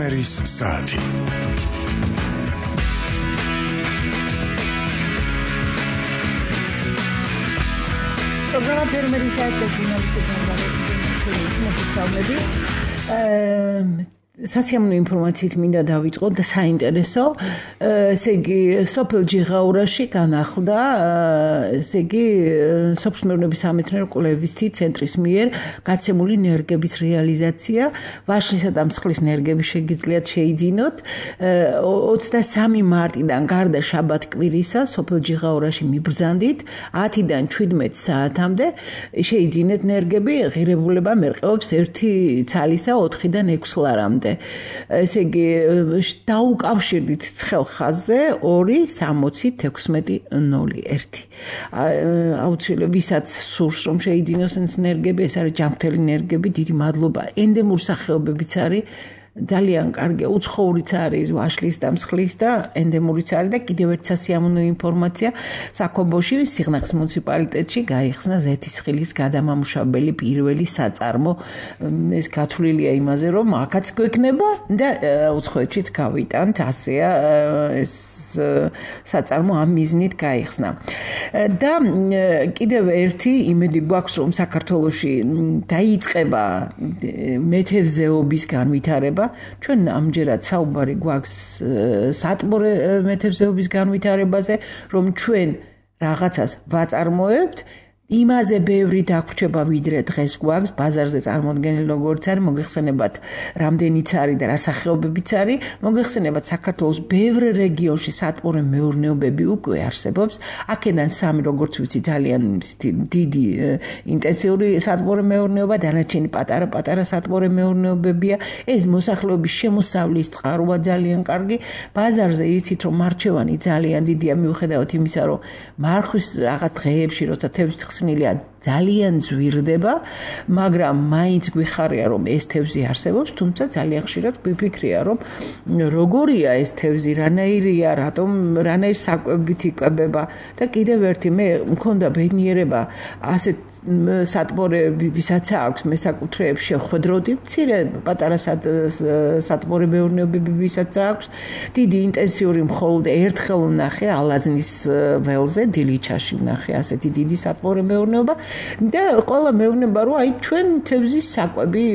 ფერმერის საათი. პროგრამა ფერმერის საათი ჟურნალისტებთან სასიამოვნო ინფორმაციით მინდა დავიწყო და საინტერესო. ესე იგი, სოფელ ჯიღაურაში განახლდა, ესე იგი, სოფლის მეურნეობის სამეცნიერო კვლევისთი ცენტრის მიერ გაცემული ნერგების რეალიზაცია. ვაშლისა და მსხლის ნერგები შეგიძლიათ შეიძინოთ. 23 მარტიდან გარდა შაბათ-კვირისა სოფელ ჯიღაურაში მიბრძანდით 10-დან 17 საათამდე შეიძინეთ ნერგები. ღირებულება მერყეობს 1 ცალისა 4-დან 6 ლარამდე. ესე იგი დაუკავშირდით ცხელ ხაზზე 2-60-16-01. აუცილებლად ვისაც სურს რომ შეიძინოს ნერგები, ეს არის ჯანმრთელი ნერგები, დიდი მადლობა. ენდემურ სახეობებიც არის, ძალიან კარგი, უცხოურიც არის, ვაშლის და მსხლის და ენდემურიც არის და კიდევ ერთი სასიამოვნო ინფორმაცია, საქობოში სიღნაღის მუნიციპალიტეტში გაიხსნა ზეთისხილის გადამამუშავებელი პირველი საწარმო. ეს გათვლილია იმაზე, რომ აქაც გვექნება და უცხოეთშიც გავიტანთ, ასეა ეს საწარმო ამ მიზნით გაიხსნა. და კიდევ ერთი იმედი გვაქვს, რომ საქართველოში დაიწყება მეთევზეობის განვითარება. ჩვენ ამჯერად საუბარი გვაქვს სატბორე მეთევზეობის განვითარებაზე, რომ ჩვენ რაღაცას ვაწარმოებთ, იმაზე ბევრი დაგვრჩება ვიდრე დღეს გვაქვს ბაზარზე წარმოდგენილი როგორც არის, მოგეხსენებათ რამდენიც არის და რა სახეობებიც არის, მოგეხსენებათ საქართველოს ბევრ რეგიონში სატბორე მეურნეობები უკვე არსებობს, აქედან 3 როგორც ვიცი ძალიან დიდი ინტენსიური სატბორე მეურნეობა, დანარჩენი პატარა სატბორე მეურნეობებია, ეს მოსახლეობის შემოსავლის წყაროა ძალიან კარგი, ბაზარზე იცით რომ მარჩევანი ძალიან დიდია მიუხედავად იმისა რომ მარხვის რაღაც დღეებში როცა თევზი ძალიან ზვირდება, მაგრამ მაინც გვიხარია რომ ეს თევზი არსებობს, თუმცა ძალიან ხშირად გვიფიქრია რომ როგორია ეს თევზი, რანაირია, რანაირ საკვებით იკვებება და კიდევ ერთი მე მქონდა ბედნიერება ასეთ სატბორეები, ვისაც აქვს მესაკუთრეებს შეხვედროდი, მცირე პატარა სატბორე მეურნეობები, ვისაც აქვს დიდი ინტენსიური მხოლოდ ერთხელ ვნახე ალაზნის ველზე, დილიჩაში ვნახე ასეთი დიდი სატბორე მეურნეობა და ყველა მეუბნება რომ აი ჩვენ თევზის საკვები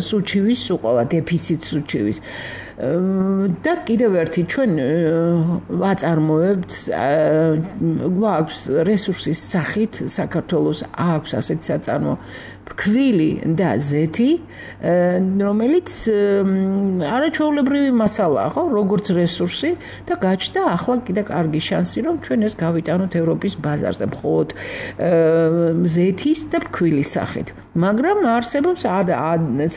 სუჩივის უყოლა დეფიციტ სუჩივის და კიდევ ერთი ჩვენ ვაწარმოებთ გვაქვს რესურსის სახით საქართველოს აქვს ასეთი საწარმო ფქვილი და ზეთი რომელიც არაჩვეულებრივი მასალაა ხო როგორც რესურსი და გაჩნდა ახლა კიდე კარგი შანსი რომ ჩვენ ეს გავიტანოთ ევროპის ბაზარზე მხოლოდ ზეთის და ფქვილის სახით მაგრამ არსებობს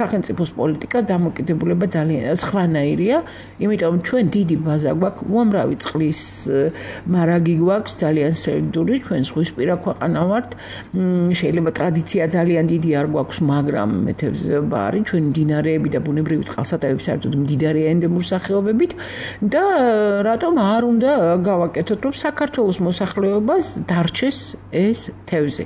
სახელმწიფოს პოლიტიკა დამოკიდებულება ძალიან სხვანაირია იმიტომ ჩვენ დიდი ბაზა გვაქვს უამრავი წყლის მარაგი გვაქვს ძალიან სერდული ჩვენ ზღვისპირა ქვეყანა ვართ შეიძლება ტრადიცია ძალიან დიდი არ გვაქვს მაგრამ მეთევზეობა არის ჩვენ მდინარეები და ბუნებრივი წყალსატევები საერთოდ მდიდარია ენდემურ სახეობებით და რატომ არ უნდა გავაკეთოთ რომ საქართველოს მოსახლეობას დარჩეს ეს თევზი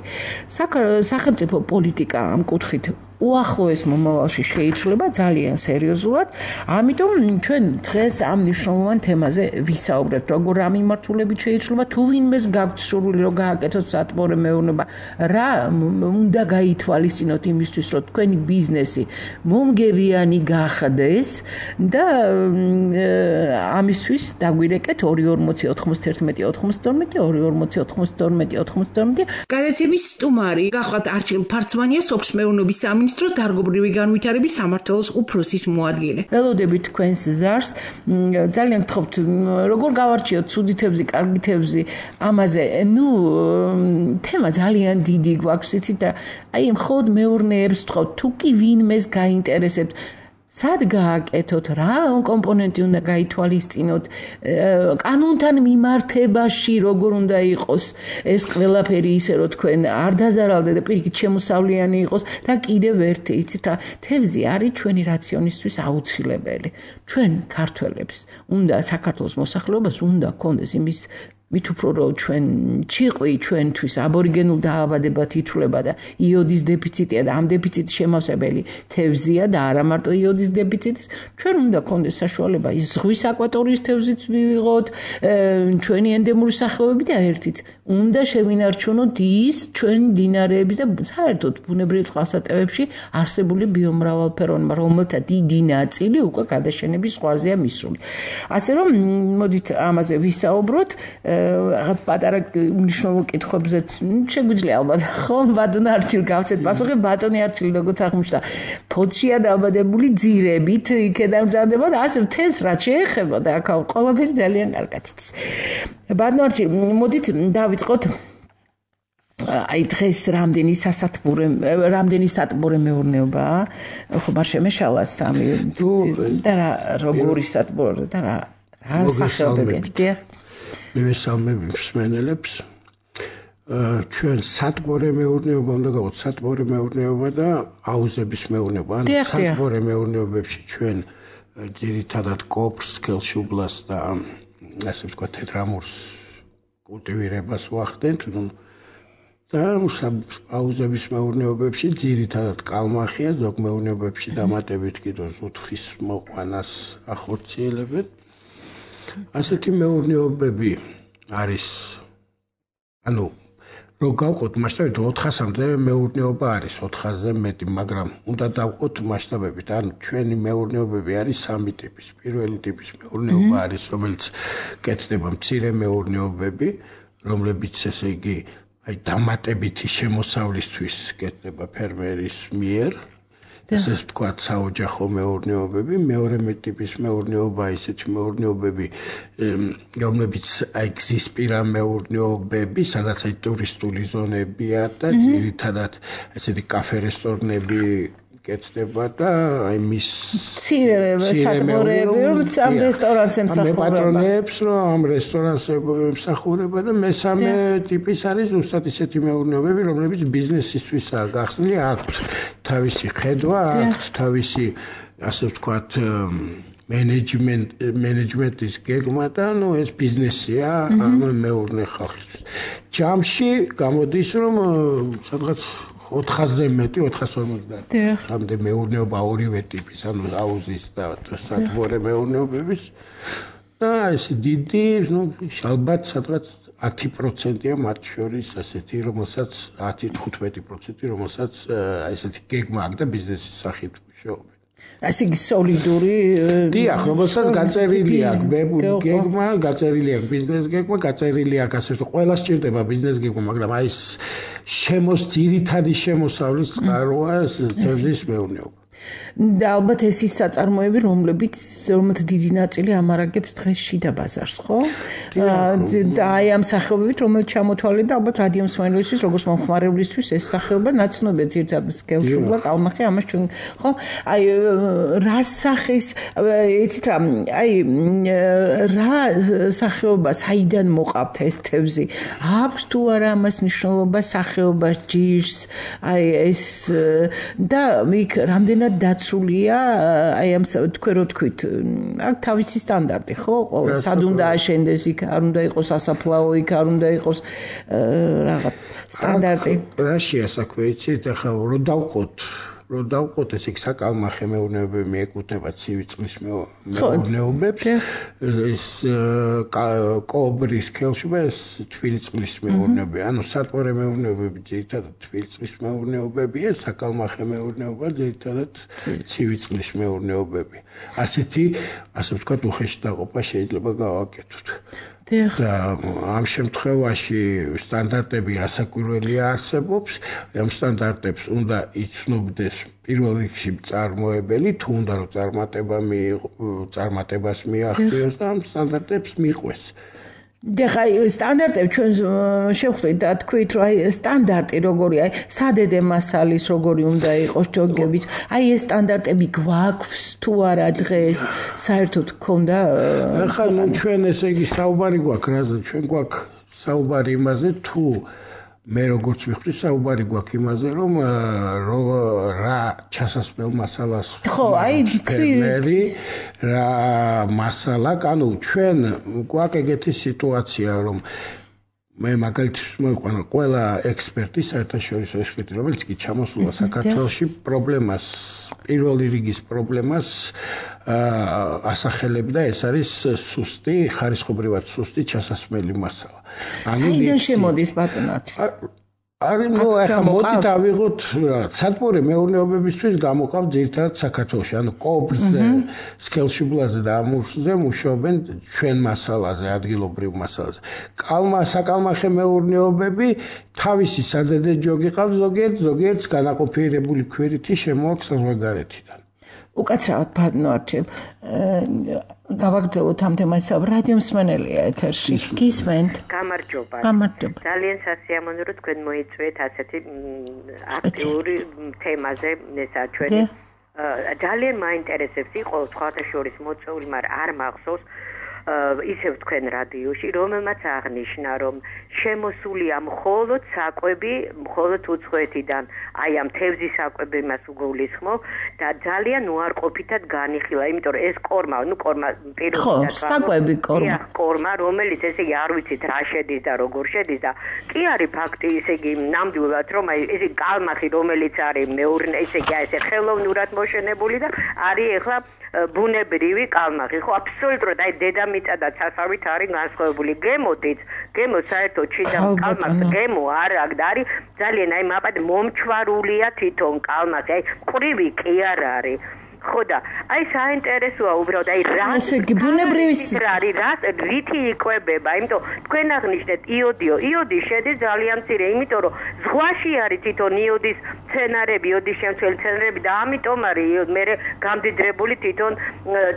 სახელმწიფო პოლიტიკა ამ კუთხით უახლოეს მომავალში შეიცვლება ძალიან სერიოზულად. ამიტომ ჩვენ დღეს ამ მნიშვნელოვან თემაზე ვისაუბრებთ, როგორ ამ მიმართულებით შეიცვლება, თუ ვინმეს გაქვთ სურვილი რომ გააკეთოთ სატბორე მეურნეობა, რა უნდა გაითვალისწინოთ იმისთვის, რომ თქვენი ბიზნესი მომგებიანი გახდეს და ამისთვის დაგვირეკეთ 240-91-92 გადაცემის სტუმარი გახლავთ არჩილ ფარცმანია სოფლის მეურნეობის სამინისტროს დარგობრივი განვითარების სამმართველოს უფროსის მოადგილე. ველოდებით თქვენს ზარს ძალიან გთხოვთ როგორ გავარჩიოთ ცუდი თევზი, კარგი თევზი ამაზე თემა ძალიან დიდი გვაქვს იცით და აი მხოლოდ მეურნეებს ვთხოვთ თუ კი ვინმეს გაინტერესებთ სად გააკეთოთ, რა კომპონენტი უნდა გაითვალისწინოთ, კანონთან მიმართებაში როგორ უნდა იყოს ეს ყველაფერი ისე რომ თქვენ არ დაზარალდეთ და პირიქით შემოსავლიანი იყოს და კიდევ ერთი იცით რა თევზი არის ჩვენი რაციონისთვის აუცილებელი. ჩვენ ქართველებს უნდა საქართველოს მოსახლეობას უნდა გქონდეს იმის მით უფრო რომ ჩვენ ჭიყვი ჩვენთვის აბორიგენულ დაავადებად ითვლება და იოდის დეფიციტია და ამ დეფიციტის შემავსებელი თევზია და არა მარტო იოდის დეფიციტის, ჩვენ უნდა გქონდეს საშუალება ის ზღვის აკვატორიის თევზიც მივიღოთ, ჩვენი ენდემური სახეობები და ერთით უნდა შევინარჩუნოთ ის ჩვენ მდინარეების და საერთოდ ბუნებრივ წყალსატევებში არსებული ბიომრავალფეროვნება, რომელთა დიდი ნაწილი უკვე გადაშენების ზღვარზეა მისული. ასე რომ მოდით ამაზე ვისაუბროთ. რაღაც პატარა უნიშნულო კითხვებზეც შეგვიძლია ალბათ ხო ბატონი არჩილ გავცეთ პასუხი ბატონი არჩილ როგორც აღმოჩნდა ფოთშია დაბადებული ძირებით იქედან მზადდება და ასე თელს რაც შეეხება და აქ ყველაფერი ძალიან კარგად იცის ბატონი არჩილ მოდით დავიწყოთ აი დღეს რამდენი სატბორე მეურნეობაა ხო მარ შემეშალა სამი და როგორი სატბორე და რა სახეობებია მივესალმები მსმენელებს ჩვენ სატბორე მეურნეობა უნდა გავყოთ სატბორე მეურნეობა და აუზების მეურნეობა ან სატბორე მეურნეობებში ჩვენ ძირითადად კოპრს, სქელშუბლას და ასე ვთქვათ თეთრამურს კულტივირებას ვახდენთ და აუზების მეურნეობებში ძირითადად კალმახია ზოგ მეურნეობებში დამატებით კიდევ ზუთხის მოყვანას ახორციელებენ ასეთი მეურნეობები არის ანუ რო გავყოთ მასშტაბით 400-მდე მეურნეობა არის 400-ზე მეტი, მაგრამ უნდა დავყოთ მასშტაბებით. ანუ ჩვენი მეურნეობები არის სამი ტიპის. პირველი ტიპის მეურნეობა არის, რომელიც კეთდება მცირე მეურნეობები, რომლებიც ესე იგი აი დამატებითი შემოსავლისთვის კეთდება ფერმერის მიერ. ესე ვთქვათ საოჯახო მეურნეობები, მეორე ტიპის მეურნეობა ისეთი მეურნეობები, რომლებიც აი გზისპირა მეურნეობები, სადაც აი ტურისტული ზონებია და ძირითადად ესეთი კაფე რესტორნები კეთდება და აი მის მცირე სატბორეები, რომელიც ამ რესტორანს ემსახურება. მეპატრონეებს, რომ ამ რესტორანს ემსახურება და მესამე ტიპის არის ზუსტად ისეთი მეურნეობები, რომლებიც ბიზნესისთვისაა გახსნილი, აქვთ თავისი ხედვა, აქვთ თავისი ასე ვთქვათ მენეჯმენტის გეგმა და ნუ ეს ბიზნესია ამ მეურნე ხალხისთვის. ჯამში გამოდის რომ სადღაც 400-ზე მეტი 450 ამდე მეურნეობა ორივე ტიპის, ანუ აუზის და სატბორე მეურნეობების და ეს დიდი, ნუ ალბათ სადღაც 10%-ია მათ შორის ასეთი, რომელსაც 10-15%, რომელსაც ესეთი გეგმა აქვს და ბიზნესის სახით მუშაობენ. ასე იგი სოლიდური დიახ, რომელსაც გაწერილი აქვს გეგმა, გაწერილი აქვს ბიზნეს გეგმა, გაწერილი აქვს ასე რომ ყველა სჭირდება ბიზნეს გეგმა, მაგრამ აი ეს ძირითადი შემოსავლის წყაროა თევზის მეურნეობა. და ალბათ ეს ის საწარმოები, რომელთა დიდი ნაწილი ამარაგებს დღეს შიდა ბაზარს, ხო? და აი ამ სახეობებით, რომელიც ჩამოთვალეთ და ალბათ რადიო მსმენელისთვის, როგორც მომხმარებლისთვის ეს სახეობა ნაცნობია ძირითადად სქელშუბლა, კალმახი, ამას ჩვენ, ხო? აი რა სახის, იცით რა, აი რა სახეობა, საიდან მოყავთ ეს თევზი? აქვს თუ არა ამას მნიშვნელობა სახეობას, ჯიშს, აი ეს და იქ რამდენად დაცულია აი ამ თქვენ რო თქვით აქ თავისი სტანდარტი ხო სად უნდა აშენდეს იქ არ უნდა იყოს ასაფლაო იქ არ უნდა იყოს რაღაც სტანდარტი რაშია საქმე იცით ახლა რო დავყოთ ესე იგი საკალმახე მეურნეობები მიეკუთვნება ცივი წყლის მეურნეობებს ეს კობრის სქელშუბლა ეს თბილი წყლის მეურნეობები ანუ სატბორე მეურნეობები ძირითადად თბილი წყლის მეურნეობებია საკალმახე მეურნეობა ძირითადად ცივი წყლის მეურნეობები ასე ვთქვათ უხეში დაყოფა შეიძლება გავაკეთოთ და ამ შემთხვევაში სტანდარტები რასაკვირველია არსებობს ამ სტანდარტებს უნდა იცნობდეს პირველ რიგში მწარმოებელი თუ უნდა რომ წარმატებას მიაღწიოს და ამ სტანდარტებს მიყვეს და აი სტანდარტები ჩვენ შევხვდით და თქვით რომ აი სტანდარტი როგორია აი სადედე მასალის როგორი უნდა იყოს ჯოგებით აი ეს სტანდარტები გვაქვს თუ არა დღეს საერთოდ გქონდა ახლა ჩვენ ესე იგი საუბარი გვაქვს რაზე ჩვენ გვაქვს საუბარი იმაზე თუ მე როგორც ვიხდი საუბარი გვაქვს იმაზე რომ რა ჩასასწრებელ მასალას ხო აი ფერმერი რა მასალა ანუ ჩვენ გვაქვს ეგეთი სიტუაცია რომ მე მაგალითად მოიყვანა ყველა ექსპერტი საერთაშორისო ექსპერტი რომელიც კი ჩამოსულა საქართველოში პრობლემას პირველი რიგის პრობლემას ასახელებდა ეს არის სუსტი ხარისხობრივად სუსტი ჩასასმელი მასალა საიდან შემოდის ბატონო არის ნუ ახლა მოდით ავიღოთ სათბური მეურნეობებისთვის გამოყავ ძირითადად საქართველოში ანუ კობრზე სქელშუბლაზე და ამურზე მუშაობენ ჩვენ მასალაზე ადგილობრივ მასალაზე საკალმახე მეურნეობები თავისი სადედე ჯოგი ყავს ზოგიერთს განაყოფიერებული ქვირითი შემოაქვს საზღვარგარეთიდან უკაცრავად ბატონო არჩილ გავაგრძელოთ ამ თემას რადიო მსმენელია ეთერში გისმენთ გამარჯობა ძალიან სასიამოვნო რომ თქვენ მოიწვიეთ ასეთი აქტიური თემაზე ესა ჩვენი ძალიან მაინტერესებს იყო სხვათა შორის მოწვეული მაგრამ არ მახსოვს ისევ თქვენ რადიოში რომელმაც აღნიშნა რომ შემოსულია მხოლოდ საკვები მხოლოდ უცხოეთიდან აი ამ თევზის საკვები მას უგულისხმობ და ძალიან უარყოფითად განიხილა იმიტომ რომ ეს კორმა პირველად საკვები კორმა რომელიც ესე იგი არ ვიცით რა შედის და როგორ შედის და კი არის ფაქტი ესე იგი ნამდვილად რომ აი ესე კალმახი რომელიც არის მეურნე ესე იგი ესე ხელოვნურად მოშენებული და არის ახლა ბუნებრივი კალმახი ხო აბსოლუტურად აი დედამიწა და ცასავით არის განსხვავებული გემო საერთოდ ჩიდა კალმახი გემო არ არის ძალიან აი მაპად მომჩვარულია თვითონ კალმახი აი ყრივი კი არ არის ხო და აი საინტერესოა უბრალოდ აი რა ბუნებრივი რა რითი იკვებება იმიტომ თქვენ აღნიშნეთ იოდი შედის ძალიან მცირე იმიტომ რომ ზღვაში არის თვითონ იოდის მცენარები იოდის შემცველი მცენარები და ამიტომ არის მე გამდიდრებული თვითონ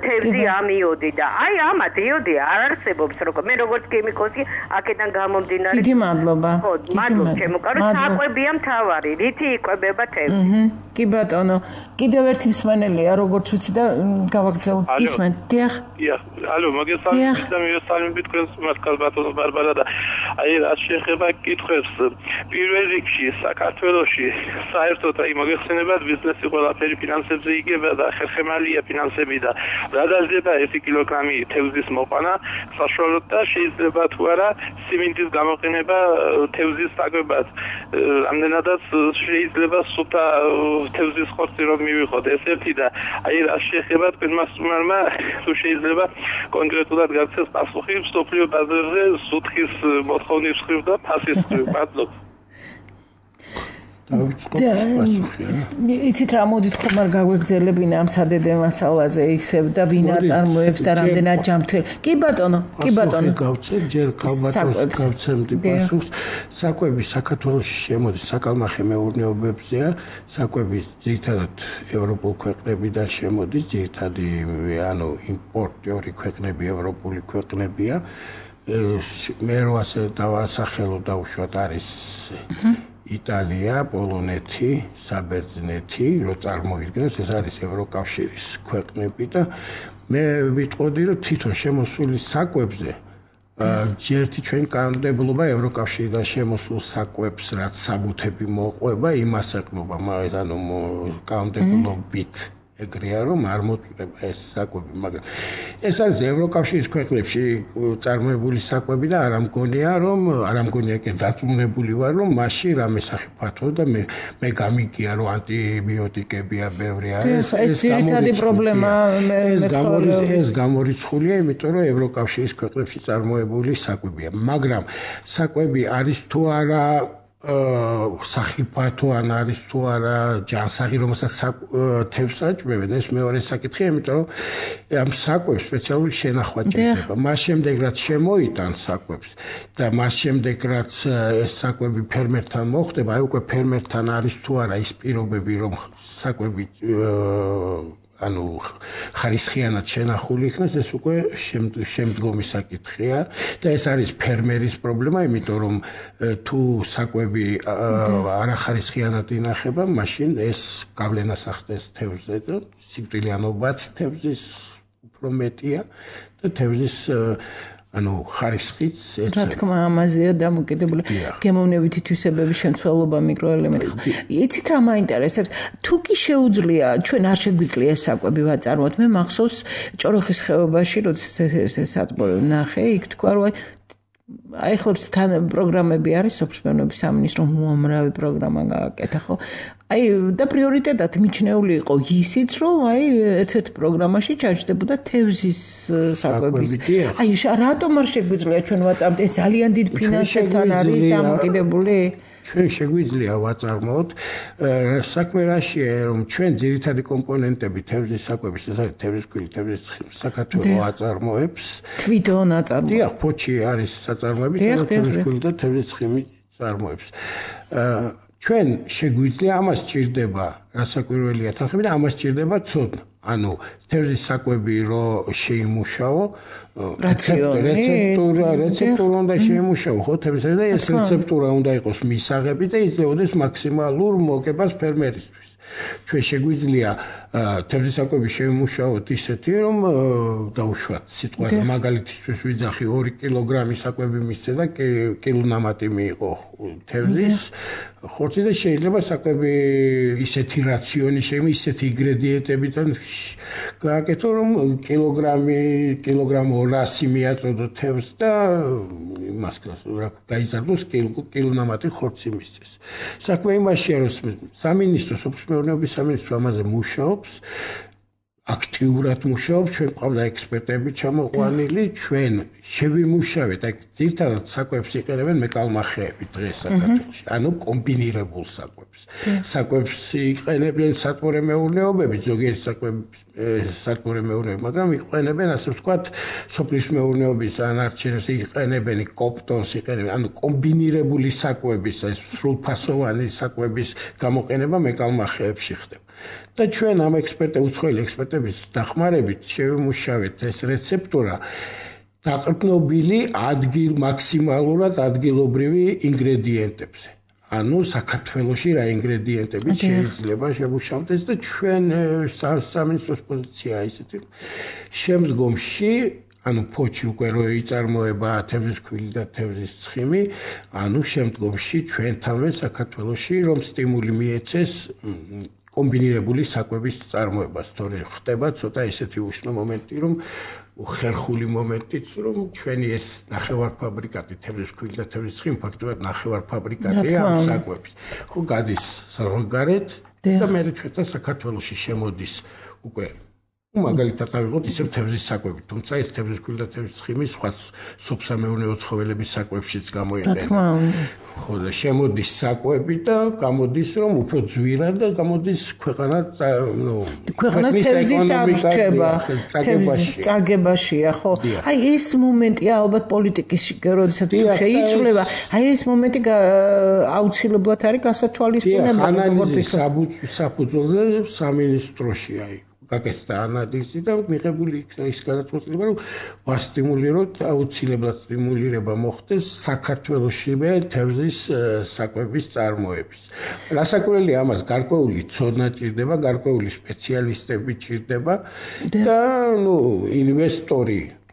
თევზი ამ იოდი და აი ამათ იოდი არ არსებობს მე როგორც ქიმიკოსი აქედან გამომდინარე დიდი მადლობა ხო მადლობა ჩემო საკვებია მთავარი რითი იკვებება თევზი კი ბატონო კიდევ ერთი მსმენელია როგორც ვიცი და გავაგრძელოთ გისმენთ დიახ ალო მოგესალმებით და მივესალმებით თქვენს მასკალ ბატონო ბარბარა და აი რა შეეხება კითხვებს პირველ რიგში საქართველოში საერთოდ აი მოგეხსენებათ ბიზნესი ყველაფერი ფინანსებზე იგება და ხერხემალია ფინანსები და რა დაждდება 1 კილოგრამი თევზის მოყვანა საშუალოდ და შეიძლება თუ არა სიმინდის გამოყენება თევზის საკვებად ამდენადაც შეიძლება სუფთა თევზის ხორცი რომ მივიღოთ ეს ერთი და აი რა შეეხება თქვენმა სტუმარმა თუ შეიძლება კონკრეტულად გაქცეს პასუხი სოფლიო ბაზარზე სუთხის მოთხოვნის მხრივ და ფასის მხრივ მადლობა იცით რა მოდით ხომ არ გაგვეგზელებინა ამ სადედე მასალაზე ისევ და ვინა წარმოებს და რამდენად ჯამთელ კი ბატონო გავცემ ჯერ ქალბატონს გავცემდი პასუხს საკვები საქართველოში შემოდის საკალმახე მეურნეობებზეა საკვები ძირითადად ევროპულ ქვეყნებიდან შემოდის ძირითადი ანუ იმპორტიორი ქვეყნები ევროპული ქვეყნებია მე რო ასე დავასახელო დაუშვათ არის იტალია, პოლონეთი, საბერძნეთი, რო წარმოიდგინოთ, ეს არის ევროკავშირის ქვეყნები და მე ვიტყოდი, რომ თვითონ შემოსული საკვებზე ჯერთი ჩვენ კანონმდებლობა ევროკავშირიდან შემოსულ საკვებს რაც საბუთები მოყვება, იმას ეკნობა, ანუ კანონმდებლობით ეგრეა რომ არ მოწყვეტება ეს საკვები, მაგრამ ეს არის ევროკავშირის ქვეყნებში წარმოებული საკვები და არ ამგონია კი დაწუნებული ვარ რომ მასში რამე სახე ფათო და მე გამიგია რომ ანტიბიოტიკებია ბევრი არის ეს ძირითადი პრობლემა ეს გამორიცხულია იმიტომ რომ ევროკავშირის ქვეყნებში წარმოებული საკვებია მაგრამ საკვები არის თუ არა სახიფათო ან არის თუ არა ჯანსაღი რომელსაც თევზს აჭმევენ ეს მეორე საკითხია იმიტომ რომ ამ საკვებს სპეციალური შენახვა ჭირდება მას შემდეგ რაც შემოიტან საკვებს და მას შემდეგ რაც ეს საკვები ფერმერთან მოხდება აი უკვე ფერმერთან არის თუ არა ის პირობები რომ საკვები ანუ ხარისხიანად შენახული იქნას ეს უკვე შემდგომი საკითხია და ეს არის ფერმერის პრობლემა იმიტომ რომ თუ საკვები არახარისხიანად ინახება მაშინ ეს გავლენას ახდენს თევზზე და სიკვდილიანობაც თევზის უფრო მეტია და თევზის ანუ ხარისხიც ეცემა. რა თქმა ამაზეა დამოკიდებული. გემოვნებითი თვისებების შემცველობა მიკროელემენტი. იცით რა მაინტერესებს? თუ კი შეუძლია, ჩვენ არ შეგვიძლია ეს საკვები ვაწარმოოთ. მე მახსოვს ჭოროხის ხეობაში, როდესაც ეს სატბორი ნახე, იქ თქვა რომ აი ხლებს თან პროგრამები არის სოფლის სამინისტრო უამრავი პროგრამა გააკეთა ხო? აი და პრიორიტეტად მიჩნეული იყო ისიც რომ აი ერთ-ერთ პროგრამაში ჩაჯდებოდა თევზის საკვების. აი რატომ არ შეგვიძლია ჩვენ ვაწარმოოთ? ეს ძალიან დიდ ფინანსებთან არის დამოკიდებული. ჩვენ შეგვიძლია ვაწარმოოთ საქმე რაშია რომ ჩვენ ძირითადი კომპონენტები თევზის საკვების ეს არის თევზის ქვილი, თევზის ცხიმი საქართველოს აწარმოებს. თვითონ აწარმოებს. დიახ, ფოჩი არის საწარმოები, თევზის ქვილი და თევზის ცხიმი აწარმოებს. ჩვენ შეგვიძლია ამას სჭირდება რასაკვირველია თანხები და ამას სჭირდება ცოდნა. ანუ თევზის საკვები რო შეიმუშაო რეცეპტურა უნდა შეიმუშაო ხო თევზისა და ეს რეცეპტურა უნდა იყოს მისაღები და იძლეოდეს მაქსიმალურ მოგებას ფერმერისთვის. ჩვენ შეგვიძლია თევზის საკვები შეიმუშაოთ ისეთი რომ დაუშვათ სიტყვაზე მაგალითისთვის ვიძახი 2 კილოგრამი საკვები მისცე და კილონამატი მიიღო თევზის ხორცი და შეიძლება საკვები ისეთი რაციონი შეიძლება ისეთი ინგრედიენტებიდან გააკეთო რომ კილოგრამ 200 მიაწოდო თევზს და იმას გაიზარდოს კილონამატი ხორცი მისცეს. საქმე იმაშია რომ სამინისტრო სოფლის მეურნეობის სამინისტრო ამაზე მუშაობს აქტიურად მუშაობს ჩვენ ყავდა ექსპერტები ჩამოყვანილი ჩვენ შევიმუშავეთ აი ძირითადად საკვებს იყენებენ მეკალმახეები დღეს საქართველოში ანუ კომბინირებულ საკვებს იყენებენ სათბური მეურნეობები ზოგიერთი საკვების სათბური მეურნეობები მაგრამ იყენებენ ასე ვთქვათ სოფლის მეურნეობის ანარჩენს იყენებენ კოპტონს იყენებენ ანუ კომბინირებული საკვების ეს სრულფასოვანი საკვების გამოყენება მეკალმახეებში ხდება და ჩვენ ამ უცხოელი ექსპერტების დახმარებით შევიმუშავეთ ეს რეცეპტურა დაყრდნობილი მაქსიმალურად ადგილობრივი ინგრედიენტებზე. ანუ საქართველოში რა ინგრედიენტები შეიძლება შემუშავდეს და ჩვენ სამინისტროს პოზიცია ისეთი შემდგომში ანუ ფოჩი უკვე რო იწარმოება თევზის ქვილი და თევზის ცხიმი, ანუ შემდგომში ჩვენთანვე საქართველოში რომ სტიმული მიეცეს კომბინირებული საკვების წარმოებას, თორე ხდება ცოტა ისეთი უშნო მომენტი, რომ ხერხული მომენტიც, რომ ჩვენი ეს ნახევარფაბრიკატი თევზის ქვილი და თევზის ცხიმი ფაქტობრივად ნახევარფაბრიკატია ამ საკვების. ხო გადის საზღვარგარეთ და მე ჩვენთან საქართველოში შემოდის უკვე მაგალითად ავიღოთ ისევ თევზის საკვები, თუმცა ეს თევზის ქვილი და თევზის ცხიმი სხვა სოფსამეურნეო ცხოველების საკვებშიც გამოიყენება. ხო და შემოდის საკვები და გამოდის რომ უფრო ძვირად და გამოდის ქვეყანას თევზის აღრჩება წაგებაშია ხო აი ეს მომენტია ალბათ პოლიტიკის როდესაც შეიცვლება აი ეს მომენტი აუცილებლად არის გასათვალისწინებელი ანალიზი საფუძველზე სამინისტროში აი გაკეთდა ანალიზი და მიღებული იქნა ის გადაწყვეტილება რომ ვასტიმულიროთ აუცილებლად სტიმულირება მოხდეს საქართველოსშივე თევზის საკვების წარმოების. რასაკვირველია ამას გარკვეული ცოდნა ჭირდება, გარკვეული სპეციალისტები ჭირდება და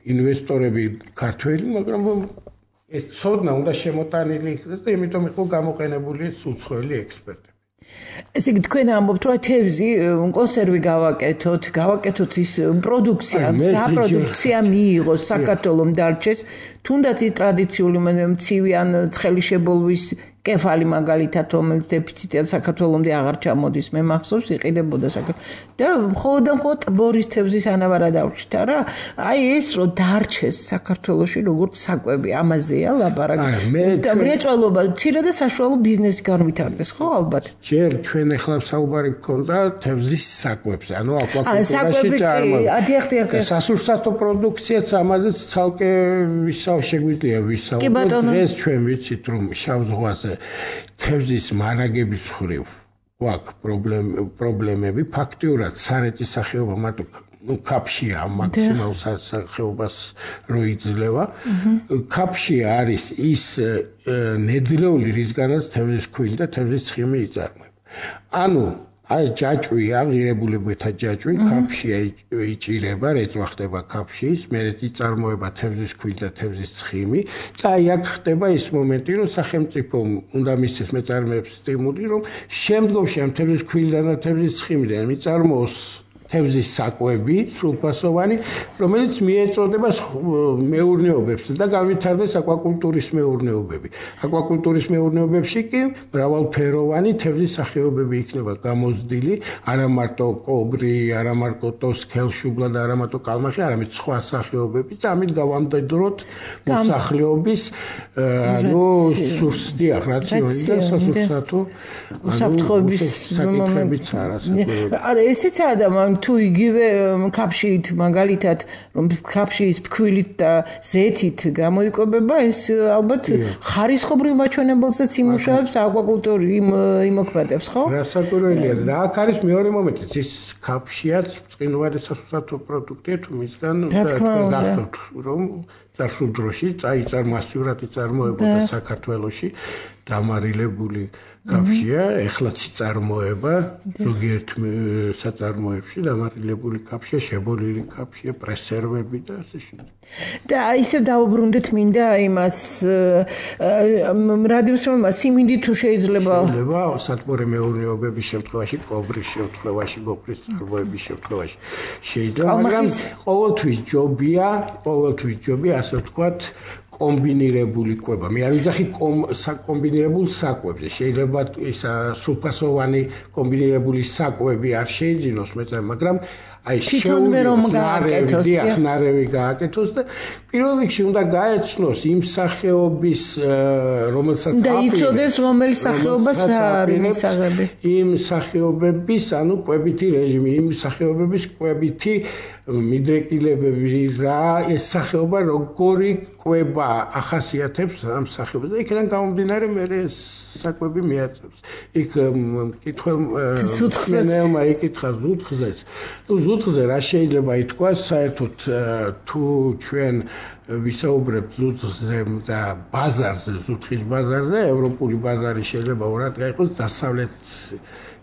ინვესტორები ქართველი, მაგრამ ეს ცოდნა უნდა შემოტანილი იქნას და იმიტომ იყო გამოყენებული უცხოელი ექსპერტები. ესე იგი თქვენ ამბობთ რომ თევზი კონსერვი გავაკეთოთ ის პროდუქცია, საპროდუქცია მიიღოს საქართველოს დარჩეს, თუნდაც ის ტრადიციული მცივი ან ცხელი შებოლვის კეფალი მაგალითად რომელიც დეფიციტია საქართველოსამდე აღარ ჩამოდის მე მახსოვს იყიდებოდა და მხოლოდ ტბორის თევზის ანაბარად დავრჩით რა აი ეს რომ დარჩეს საქართველოში როგორც საკვები ამაზეა ლაპარაკი და მრეწველობა მცირე და საშუალო ბიზნესი განვითარდეს ხო ალბათ ჯერ ჩვენ ახლა საუბარი გქონდა თევზის საკვებზე ანუ აკვაკულტურაში წარმოება სასურსათო პროდუქციაც ამაზეც ცალკე შეგვიძლია ვისაუბროთ დღეს ჩვენ ვიცით რომ შავ ზღვაზე თევზის მარაგების ხრივ გვაქვს პრობლემები ფაქტიურად სარეწის სახეობა მარტო ქაფშია მაქსიმალურ სახეობას რო იძლევა ქაფში არის ის ნედლეული რისგანაც თევზის ქვილი და თევზის ცხიმი იწარმოება ანუ აი ჯაჭვი აღირებულებათა ჯაჭვი ქაფში იჭირება, რეწვა ხდება ქაფშის, მერე იწარმოება თევზის ქვილი და თევზის ცხიმი და აი აქ ხდება ის მომენტი, რომ სახელმწიფომ უნდა მისცეს მეწარმეებს სტიმული, რომ შემდგომში ამ თევზის ქვილიდან და თევზის ცხიმიდან მიწარმოოს თევზის საკვები, სრულფასოვანი, რომელიც მიეწოდება მეურნეობებს და განვითარდეს აკვაკულტურის მეურნეობები. აკვაკულტურის მეურნეობებში კი მრავალფეროვანი თევზის სახეობები იქნება გამოზრდილი, არა მარტო კობრი, არა მარტო თოსქელშუბლა და არა მარტო კალმახი, არამედ სხვა სახეობები და ამით გავამდიდროთ მოსახლეობის სურსდიახ რაციონი და სასურსათო უსაფრთხოების საკითხებიც არა საკუთრებით. არა, ესეც არა და თუ იგივე ქაფშით მაგალითად რომ ქაფშის ფქვილით და ზეთით გამოიკვებება ეს ალბათ ხარისხობრივ მაჩვენებელსაც იმუშავებს აკვაკულტური იმოქმედებს ხო? რასაკვირველია და აქ არის მეორე მომენტიც ის ქაფშიაც წინვარი სასურსათო პროდუქტია თუ მისგან გახსოვთ რომ წარსულ დროში მასიურად იწარმოებოდა საქართველოში დამარილებული ქაფშია, ეხლაც იწარმოება ზოგიერთ საწარმოებში დამარილებული ქაფშია, შებოლილი ქაფშია, პრესერვები და ასე შემდეგ. და ისევ დავუბრუნდეთ მინდა იმას რადიოსმენმა სიმინდი თუ შეიძლება სათბორე მეურნეობების შემთხვევაში, კობრის შემთხვევაში, გოფრის წარმოების შემთხვევაში შეიძლება, მაგრამ ყოველთვის ჯობია, ასე ვთქვათ, კომბინირებული კვება. მე არ ვიძახი საკომბინირებულ საკვებზე. შეიძლება ის სრულფასოვანი კომბინირებული საკვები არ შეიძინოს მეწარმე, მაგრამ აი ნარევი გააკეთოს და პირველ რიგში უნდა გაეცნოს იმ სახეობის რომელსაც და იცოდეს რომელი სახეობას რა არის მისაღები. იმ სახეობების, კვებითი რეჟიმი, იმ სახეობების კვებითი მიდრეკილებები რა ეს სახეობა როგორი კვება ახასიათებს ამ სახეობას და იქიდან გამომდინარე მე საკვები მიაწევს. იქ კითხველმა იკითხა ზუთხზეც. ზუთხზე რა შეიძლება ითქვას საერთოდ თუ ჩვენ ვისაუბრებთ ზუთხზე და ბაზარზე, ზუთხის ბაზარზე, ევროპული ბაზარი შეიძლება ორად გაიყოს დასავლეთ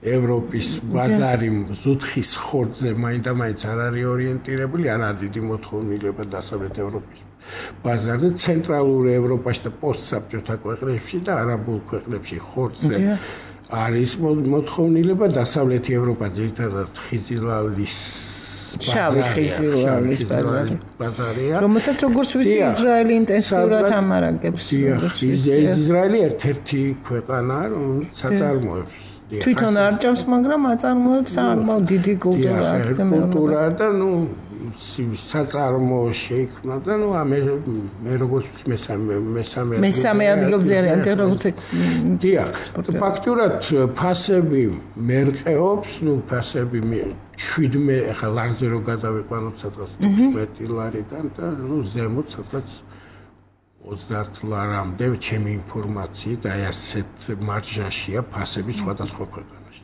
ევროპის ბაზარი ზუთხის ხორცზე მაინდა-მაინც არ არის ორიენტირებული, არა დიდი მოთხოვნილება დასავლეთ ევროპის ბაზარზე, ცენტრალურ ევროპაში და პოსტსაბჭოთა ქვეყნებში და არაბულ ქვეყნებში ხორცზე არის მოთხოვნილება, დასავლეთი ევროპა ძირითადად ხიზილალის ბაზარია, რომელსაც როგორც ვიცი ისრაელი ინტენსიურად ამარაგებს. ისრაელი ერთ-ერთი ქვეყანაა, რომელიც აწარმოებს თვითონ არ ჭამს, მაგრამ აწარმოებს საკმაოდ დიდი კულტურა და საწარმო შეიქმნა და მე როგორც მესამე ადგილზე არიან როგორც ფაქტურად ფასები მერყეობს, ფასები 17 ახლა ლარზე რო გადავიყვანოთ სადღაც 16 ლარიდან და ზემოთ სადღაც 30 ლარამდე ჩემი ინფორმაციით აი ასეთ მარჟაშია ფასები სხვადასხვა ქვეყანაში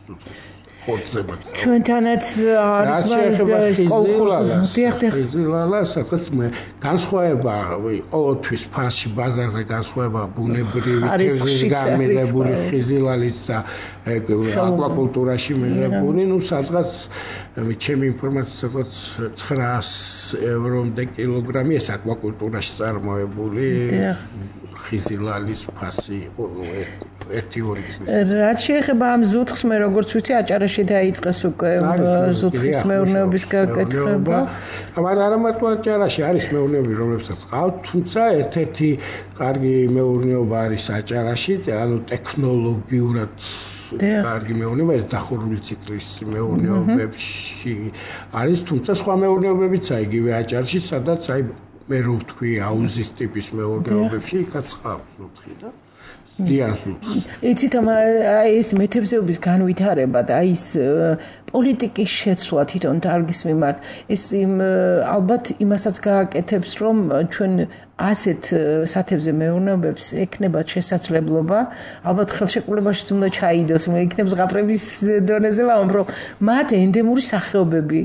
ხორცებად. ჩვენთანაც არის ხიზილალა სადღაც განსხვავება ყოველთვის ფასში ბაზარზე განსხვავება ბუნებრივი თევზის გამიღებული ხიზილალის და აკვაკულტურაში მიღებული, სადღაც ჩემი ინფორმაციით სადღაც 900 ევრომდე კილოგრამი ეს აკვაკულტურაში წარმოებული ხიზილალის ფასი იყო ერთი-ორი გზის. რაც შეეხება ამ ზუთხს, მე როგორც ვიცი, აჭარაში დაიწყეს უკვე ზუთხის მეურნეობის გაკეთება. არა მარტო აჭარაში არის მეურნეობები, რომლებსაც ყავთ, თუმცა ერთ-ერთი კარგი მეურნეობა არის აჭარაში, ტექნოლოგიურად კარგი მეურნეობა, ეს დახურული ციკლის მეურნეობებში არის, თუმცა სხვა მეურნეობებიცაა იგივე აჭარში, სადაც აი მე რო ვთქვი აუზის ტიპის მეურნეობებში იქაც ყავს ზუთხი და იცით ეს მეთევზეობის განვითარება და ის პოლიტიკის შეცვლა თვითონ დარგის მიმართ ეს ალბათ იმასაც გააკეთებს რომ ჩვენ ასეთ სათევზე მეურნეობებს ექნებათ შესაძლებლობა ალბათ ხელშეკრულებაშიც უნდა ჩაიდოს მე იქნებს ზღაპრების დონეზე ვამბობ რომ მათ ენდემური სახეობები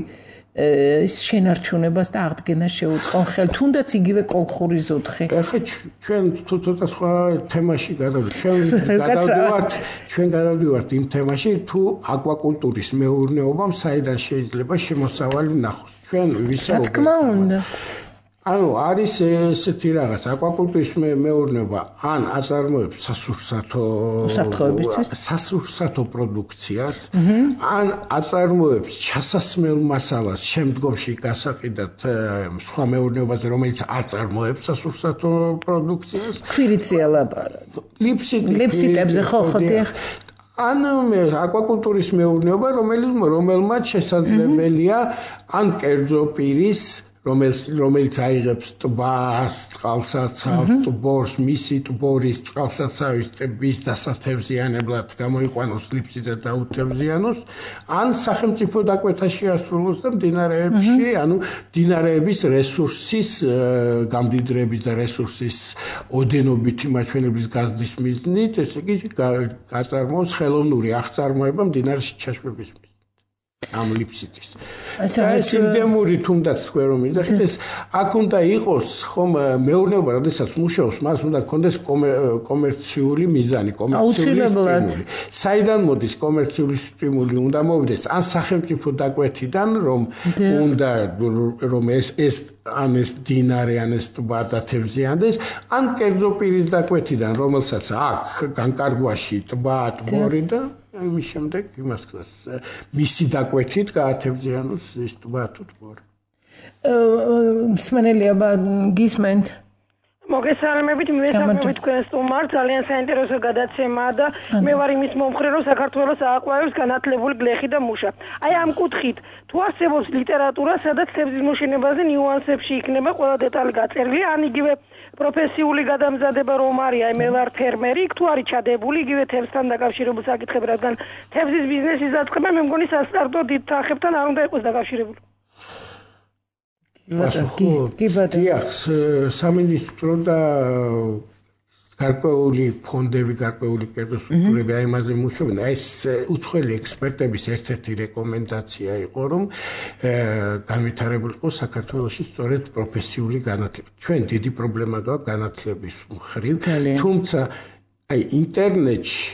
შენარჩუნებას და აღდგენას შეუწყონ ხელ, თუნდაც იგივე კოლხური ზოთხი. ახლა ჩვენ ცოტა სხვა თემაში ჩვენ გადავდივართ იმ თემაში, თუ აკვაკულტურის მეურნეობამ საიდან შეიძლება შემოსავალი ნახოს. ჩვენ ვისაუბრებთ. რა თქმა უნდა. ანუ არის ესეთი რაღაც აკვაკულტურის მეურნეობა ან აწარმოებს სასურსათო პროდუქციას ან აწარმოებს ჩასასმელ მასალას შემდგომში გასაყიდად სხვა მეურნეობაზე რომელიც აწარმოებს სასურსათო პროდუქციას ქვირიცია ლაპარაკი ლიფსიტებზე ხო დიახ ან აკვაკულტურის მეურნეობა რომელმაც შესაძლებელია ან კერძო პირის რომელიც აიღებს ტბას, წყალსაცავს, ტბორს, მისი ტბორის წყალსაცავის ტბის დასათევზიანებლად გამოიყვანოს ლიფსიტად და უთევზიანოს, ან სახელმწიფო დაკვეთაში ასრულოს და მდინარეებში, ანუ მდინარეების რესურსის გამდიდრების და რესურსის ოდენობითი მაჩვენებლის გაზრდის მიზნით, ესე იგი გაწარმოოს ხელოვნური აღწარმოება მდინარეში ჩაშვების მიზნით. ამ ლიფსიტის. ეს ინდემური თუნდაც თქვენ რომ იძახით ეს აქ უნდა იყოს ხომ მეურნეობა, როდესაც მუშაობს, მას უნდა კონდეს კომერციული მიზანი, კომერციული სტიმული. საიდან მოდის კომერციული სტიმული? უნდა მოვიდეს ან სახელმწიფო დაკვეთიდან, რომ უნდა რომ ეს დინარე ან ეს ტბა დათევზიანდეს, ან კერძო პირის დაკვეთიდან, რომელსაც აქვს განკარგვაში ტბა, ტბორი და იმის შემდეგ იმას ხსნას მისი დაკვეთით გაათევზიანოს ის ტბა თუ ტბორი. მსმენელია გისმენთ მოგესალმებით, მივესალმებით თქვენ სტუმარს, ძალიან საინტერესო გადაცემაა და მე ვარ იმის მომხრე, რომ საქართველოს ააყვავებს განათლებული გლეხი და მუშა. აი ამ კუთხით, თუ არსებობს ლიტერატურა, სადაც თევზის მოშენებაზე ნიუანსებში იქნება ყველა დეტალი გაწერილი, ან იგივე პროფესიული გადამზადება რომ არის, აი მე ვარ ფერმერი, იქ თუ არის ჩადებული იგივე თევზთან დაკავშირებულ საკითხები, რადგან თევზის ბიზნესის დაწყება მე მგონი სასტარტო დიდ თანხებთან არ უნდა იყოს დაკავშირებული. სამინისტრო და გარკვეული ფონდები, გარკვეული კერძო სტრუქტურები აი ამაზე მუშაობენ. ეს უცხოელი ექსპერტების ერთ-ერთი რეკომენდაცია იყო, რომ განვითარებული იყოს საქართველოში სწორედ პროფესიული განათლება. ჩვენ დიდი პრობლემა გაქვს განათლების მხრივ, თუმცა აი ინტერნეტში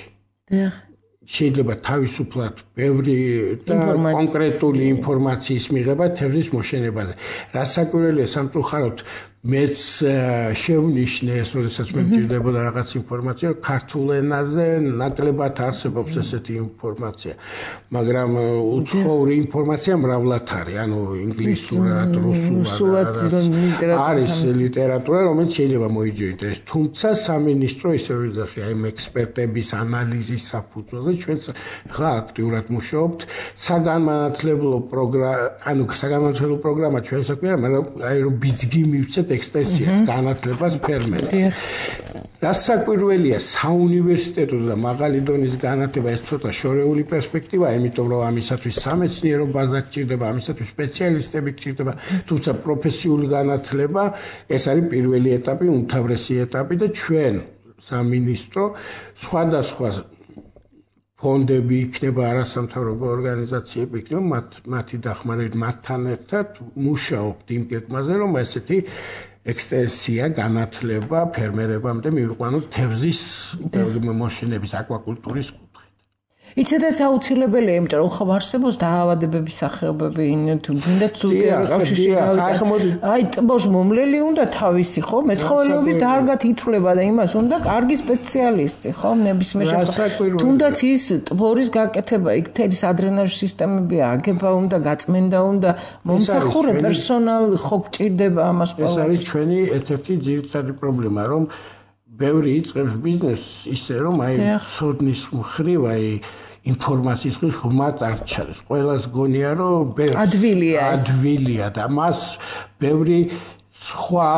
შეიძლება თავისუფლად ბევრი და კონკრეტული ინფორმაციის მიღება თევზის მოშენებაზე. რასაკვირველია სამწუხაროდ მეც შევნიშნე ეს, როდესაც მე მჭირდებოდა რაღაც ინფორმაცია, ქართულ ენაზე ნაკლებად არსებობს ესეთი ინფორმაცია, მაგრამ უცხოური ინფორმაცია მრავლად არის, ანუ ინგლისურად, რუსულად არის ლიტერატურა, რომელიც შეიძლება მოიძიოს. თუმცა სამინისტრო ისე ვიძახი, აი ექსპერტების ანალიზის საფუძველზე ჩვენ ხა აქტიურად მუშაობთ საგანმანათლებლო პროგრამა ჩვენ საქმეა, მაგრამ აი რომ ბიძგი მივცეთ ექსტენსიას განათლებას ფერმერებს. რასაკვირველია საუნივერსიტეტო და მაღალი დონის განათლება ეს ცოტა შორეული პერსპექტივაა, იმიტომ რომ ამისათვის სამეცნიერო ბაზა გჭირდება, ამისათვის სპეციალისტები გჭირდება, თუმცა პროფესიული განათლება ეს არის პირველი ეტაპი, უმთავრესი ეტაპი და ჩვენ სამინისტრო სხვადასხვა ფონდები იქნება, არასამთავრობო ორგანიზაციები იქნება, მათი დახმარებით მათთან ერთად მუშაობთ იმ გეგმაზე, რომ ესეთი ექსტენსია განათლება ფერმერებამდე მივიყვანოთ თევზის მოშენების აკვაკულტურის კუთხით. იცოდეთ აუცილებელია, იმიტომ რომ ხო არსებობს დაავადებების სახეობები, თუნდაც აი ტბოს მომლელი უნდა თავისი, ხო? მეცხოველეობის დარგად ითვლება და იმას უნდა კარგი სპეციალისტი, ხო? ნებისმიერ შემთხვევაში. თუნდაც ის ტბორის გაკეთება, იქ მთელი ადრენაჟი სისტემები აგება უნდა, გაწმენდა უნდა, მომსახურე პერსონალი ხო გჭირდება ამას ყველა. ეს არის ჩვენი ერთ-ერთი ძირითადი პრობლემა, რომ ბევრი იწყებს ბიზნესს ისე, რომ აი ცოდნის მხრივ, აი ინფორმაციის მხრივ ღმად არ ჩადეს. ყველას გონია, რომ ადვილია და მას ბევრი სხვა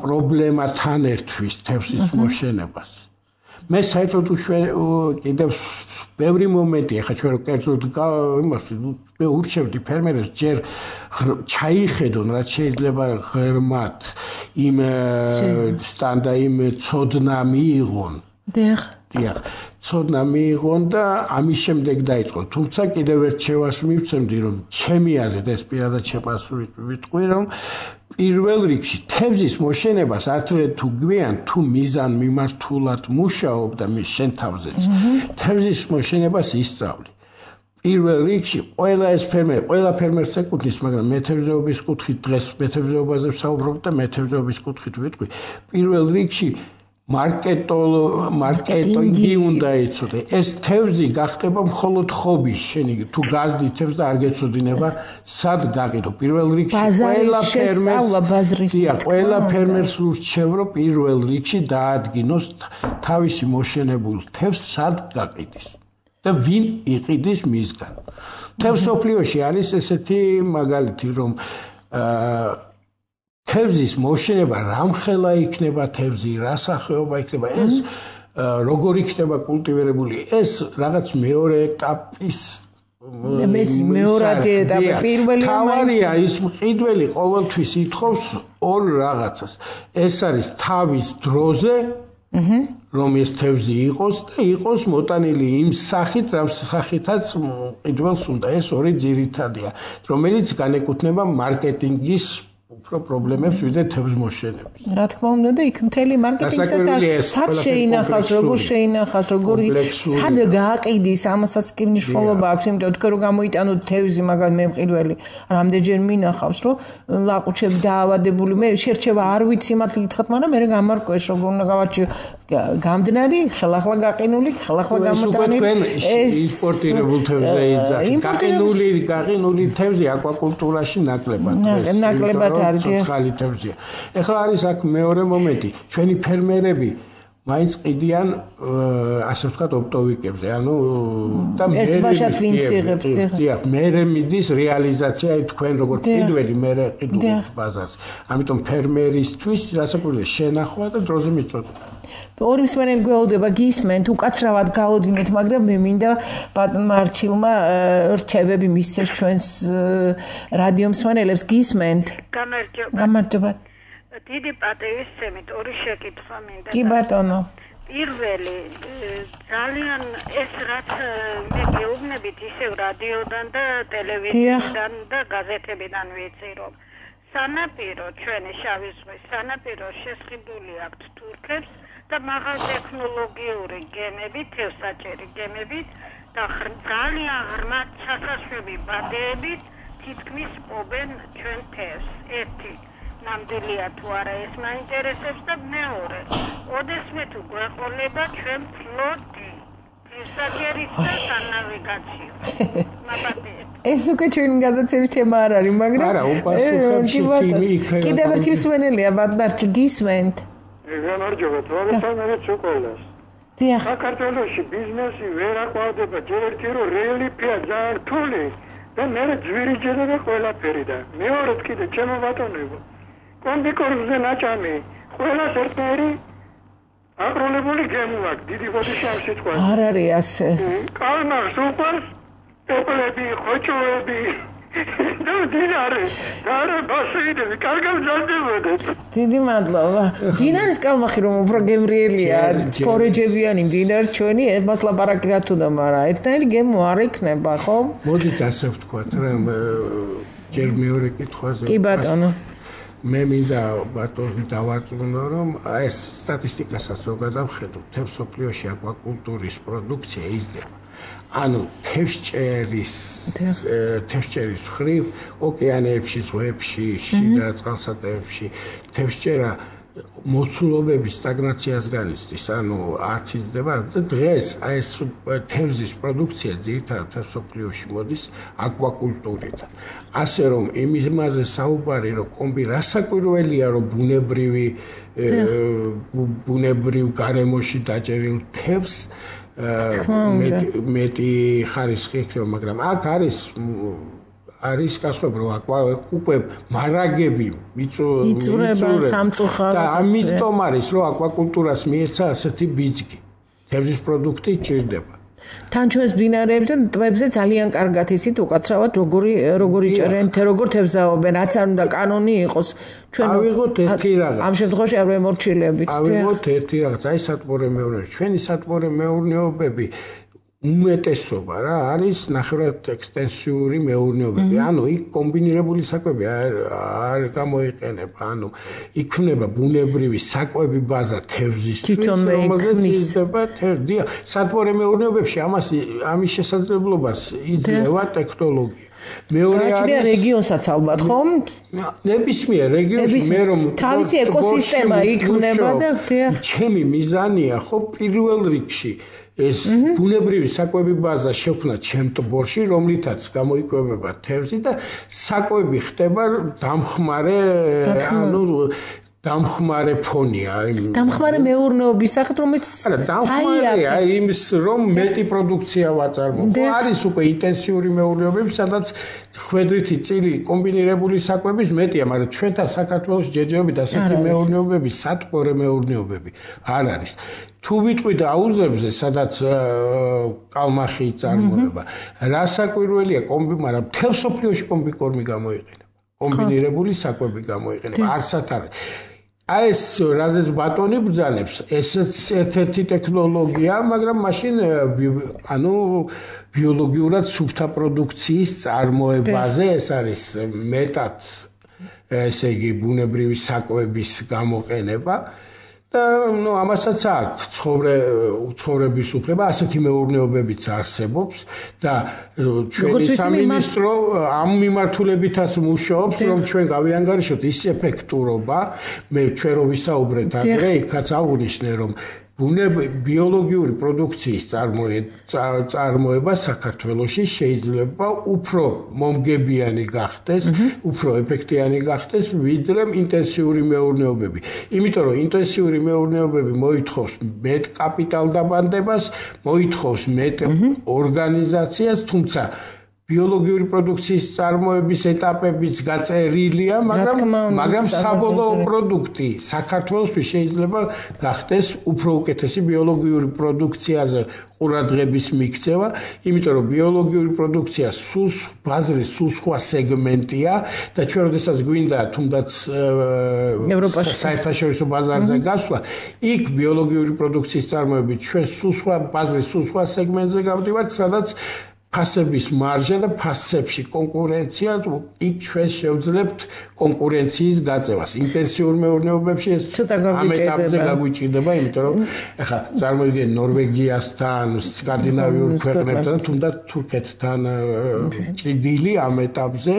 პრობლემა თან ერთვის თევზის მოშენებას. მე საერთოდ კიდევ ბევრი მომენტია, ხა ჩვენ კერძოდ იმას მე ურჩევდი ფერმერებს ჯერ ჩაიხედონ, რაც შეიძლება ღრმად იმ სტანდა იმ ცოდნა მიიღონ. დიახ, ცოდნა მიიღონ და ამის შემდეგ დაიწყო. თუმცა კიდევ ერთ შევას მივცემდი, რომ ჩემი აზრით ეს პირადად შეპასული ვიტყვი, რომ პირველ რიგში თევზის მოშენებას ართრე თუ გვიან თუ მიზან მიმართულად მუშაობ და მის შენ თავზეც თევზის მოშენებას ისწავლი. პირველ რიგში ყველა ფერმერს ეკუთვნის, მაგრამ მეთევზეობის კუთხით დღეს მეთევზეობაზე ვსაუბრობ და მეთევზეობის კუთხით ვიტყვი. პირველ რიგში მარკეტინგი უნდა იცოდე. ეს თევზი გახდება მხოლოდ ხობი, შენი თუ გაზდი თევზს და არ გეცოდინება სად გაყიდო. პირველ რიგში ყველა ფერმერს ურჩევ, რომ პირველ რიგში დაადგინოს თავისი მოშენებულ თევზს სად გაყიდის და ვინ იყიდის მისგან. თევზ სოფლიოში არის ესეთი მაგალითი, რომ თევზის მოშენება რამხელა იქნება თევზი, რა სახეობა იქნება, ეს როგორ იქნება კულტივირებული, ეს რაღაც მეორე ეტაპის მეორე ეტაპი პირველი თავარია ის მყიდველი ყოველთვის ითხოვს ორ რაღაცას. ეს არის თავის დროზე რომ ეს თევზი იყოს და იყოს მოტანილი იმ სახით, რა სახითაც მყიდველს უნდა. ეს ორი ძირითადია, რომელიც განეკუთვნება მარკეტინგის უფრო პრობლემებს ვიდრე თევზ მოშენების. რა თქმა უნდა და იქ მთელი მარკეტინგსაც სად შეინახავს, როგორ შეინახავს, როგორი სად გააყიდის, ამასაც კი მნიშვნელობა აქვს, იმიტომ თქვენ რომ გამოიტანოთ თევზი, მაგალითად მე მყიდველი რამდენჯერ მინახავს, რომ ლაყუჩები დაავადებული, მე შერჩევა არ ვიცი მართლა გითხრათ, მაგრამ მე გამარკვევს, როგორ უნდა გავარჩიო გამდნარი, ხელახლა გაყინული, ხელახლა გამოტანილი. ეს იმპორტირებულ თევზზე იძახი. გაყინული თევზი აკვაკულტურაში ნაკლებად არის ცოცხალი თევზია. ეხლა არის აქ მეორე მომენტი. ჩვენი ფერმერები მაინც ყიდიან ასე ვთქვათ ოპტოვიკებზე, ანუ და მერე მიდის რეალიზაცია თქვენ როგორ ყიდველი მერე ყიდულობთ ბაზარს. ამიტომ ფერმერისთვის რასაკვირველია შენახვა და დროზე მიწოდა. ორი მსმენელი გველოდება გისმენთ, უკაცრავად გავოდინეთ, მაგრამ მე მინდა ბატონმა არჩილმა რჩევები მისცეს ჩვენს რადიო მსმენელებს გისმენთ. გამარჯობა. დიდი პატივისცემით ორი შეკითხვა მინდა. კი ბატონო. პირველი ძალიან ეს რაც მე გეუბნებით ისევ რადიოდან და ტელევიზიიდან და გაზეთებიდან ვიცი, რომ სანაპირო ჩვენი შავი ზღვის სანაპირო შესყიდული აქვთ თურქებს და მაღალტექნოლოგიური გემებით, თევზსაჭერი გემებით და ძალიან ღრმა ჩასაშვები ბადეებით თითქმის პობენ ჩვენ თევზს. ერთი ნამდვილია თუ არა ეს მაინტერესებს და მეორე, ოდესმე თუ გვეყოლება ჩვენ ფლოტი თევზსაჭერის და სანავიგაციო. ეს უკვე ჩვენი გადაცემის თემა არ არის, მაგრამ არა, უპასუხებს იქნება. კიდევ ერთი მსმენელია ბატონარჩი გისმენთ. გამარჯობა, თორემ შოკოლადს. დიახ. საქართველოში ბიზნესი ვერ აყვავდება, ჯერ ერთი რომ რელიეფია ძალიან რთული და მე ძვირიჯერება ყველაფერი და მეორედ კიდე ჩემო ბატონებო. კომბიკორზე ნაჭამი, ყველას ერთნაირი აკროლებული გემუაკ, დიდი ბოდიში ამ სიტყვას. არ არის ასე. კალმახს უყვარს, პოპლები, ხოჭოები. და დინარე, არა ბასეიდები, კარგად მზადდებოდეთ. დიდი მადლობა. დინარის კალმახი რომ უფრო გემრიელია, ფორეჯებიანი დინარი ჩვენი, მას ლაპარაკი რა თუნდა, მაგრამ ერთნაირი გემო არ იქნება, ხო? მოდით ასე ვთქვათ, რომ ჯერ მეორე კითხვაზე. კი ბატონო. მე მინდა ბატონს დავარწმუნო, რომ ეს სტატისტიკასაც რო გადავხედოთ, თევზ სოფლიოში აკვაკულტურის პროდუქცია იზრდება. ანუ თევზჭერის ხრივ ოკეანეებში, ზღვებში, შიდა წყალსატევებში თევზჭერა მოცულობების სტაგნაციას განიცდის, ანუ არც იზრდება და დღეს ეს თევზის პროდუქცია ძირითადად სოფლიოში მოდის აკვაკულტურიდან. ასე რომ იმაზე საუბარი, რომ კომბი რასაკვირველია, რომ ბუნებრივ გარემოში დაჭერილ თევზს მეტი ხარისხი იქნება, მაგრამ აქ არის გასხვავება, რომ უკვე მარაგები იწურება სამწუხაროდ და ამიტომ არის, რომ აკვაკულტურას მიეცა ასეთი ბიძგი. თევზის პროდუქტი ჭირდება. თან ჩვენს ბინარებზე და ტბებზე ძალიან კარგად იცით უკაცრავად როგორი ჭერენ, როგორ თევზაობენ, რაც არ უნდა კანონი იყოს. ჩვენ ავიღოთ ერთი რაღაც. ამ შემთხვევაში არ ვემორჩილებით. ავიღოთ ერთი რაღაც, აი სატყორე მეურნეობა. ჩვენი სატყორე მეურნეობები უმეტესობა რა არის ნახევრად ექსტენსიური მეურნეობები. ანუ იქ კომბინირებული საკვები არ გამოიყენება. ანუ იქნება ბუნებრივი საკვები ბაზა თევზისთვის, რომელზეც იზრდება თევზი. სატყორე მეურნეობებში ამის შესაძლებლობას იძლევა ტექნოლოგია. მეორე არის რეგიონსაც ალბათ ხომ? ნებისმიერ რეგიონში მე რომ თავისი ეკოსისტემა იქნება და ჩემი მიზანია ხო პირველ რიგში ეს ბუნებრივი საკვები ბაზა შექმნა ჩემ ტბორში, რომლითაც გამოიკვებება თევზი და საკვები ხდება დამხმარე, ანუ დამხმარე ფონია. დამხმარე მეურნეობის სახით, რომელიც დამხმარეა იმის რომ მეტი პროდუქცია ვაწარმოო. არის უკვე ინტენსიური მეურნეობები, სადაც ხვედრითი წილი კომბინირებული საკვების მეტია, მაგრამ ჩვენთან საქართველოს ჯერჯერობით ასეთი მეურნეობები, სატყორე მეურნეობები არ არის. თუ ვიტყვით აუზებზე, სადაც კალმახი წარმოება, რა საკვირველია მაგრამ მთელ სოფლიოში კომბიკორმი გამოიყენება. კომბინირებული საკვები გამოიყენება. არსად არის. აი ეს რაზეც ბატონი ბრძანებს, ესეც ერთ-ერთი ტექნოლოგია, მაგრამ მაშინ ანუ ბიოლოგიურად სუფთა პროდუქციის წარმოებაზე ეს არის მეტად ესე იგი ბუნებრივი საკვების გამოყენება. და ნუ ამასაც აქვს ცხოვრების უფლება, ასეთი მეურნეობებიც არსებობს და ჩვენი სამინისტრო ამ მიმართულებითაც მუშაობს, რომ ჩვენ გავიანგარიშოთ ის ეფექტურობა, ჩვენ რო ვისაუბრეთ ადრე, იქაც აღვნიშნე, რომ ბიოლოგიური პროდუქციის წარმოება საქართველოში შეიძლება უფრო მომგებიანი გახდეს, უფრო ეფექტიანი გახდეს, ვიდრე ინტენსიური მეურნეობები. იმიტომ რომ ინტენსიური მეურნეობები მოითხოვს მეტ კაპიტალდაბანდებას, მოითხოვს მეტ ორგანიზაციას, თუმცა ბიოლოგიური პროდუქციის წარმოების ეტაპებიც გაწერილია, მაგრამ საბოლოო პროდუქტი საქართველოსთვის შეიძლება გახდეს უფრო უკეთესი ბიოლოგიური პროდუქციაზე ყურადღების მიქცევა, იმიტომ რომ ბიოლოგიური პროდუქცია ბაზრის სულ სხვა სეგმენტია და ჩვენ როდესაც გვინდა თუნდაც საერთაშორისო ბაზარზე გასვლა, იქ ბიოლოგიური პროდუქციის წარმოებით ჩვენ ბაზრის სულ სხვა სეგმენტზე გავდივართ, სადაც ფასების მარჟა და ფასებში კონკურენცია, იქ ჩვენ შევძლებთ კონკურენციის გაწევას. ინტენსიურ მეურნეობებში ეს ამ ეტაპზე გაგვიჭირდება, იმიტომ რომ ახლა წარმოიდგინეთ ნორვეგიასთან, სკანდინავიურ ქვეყნებთან, თუნდაც თურქეთთან ჭიდილი ამ ეტაპზე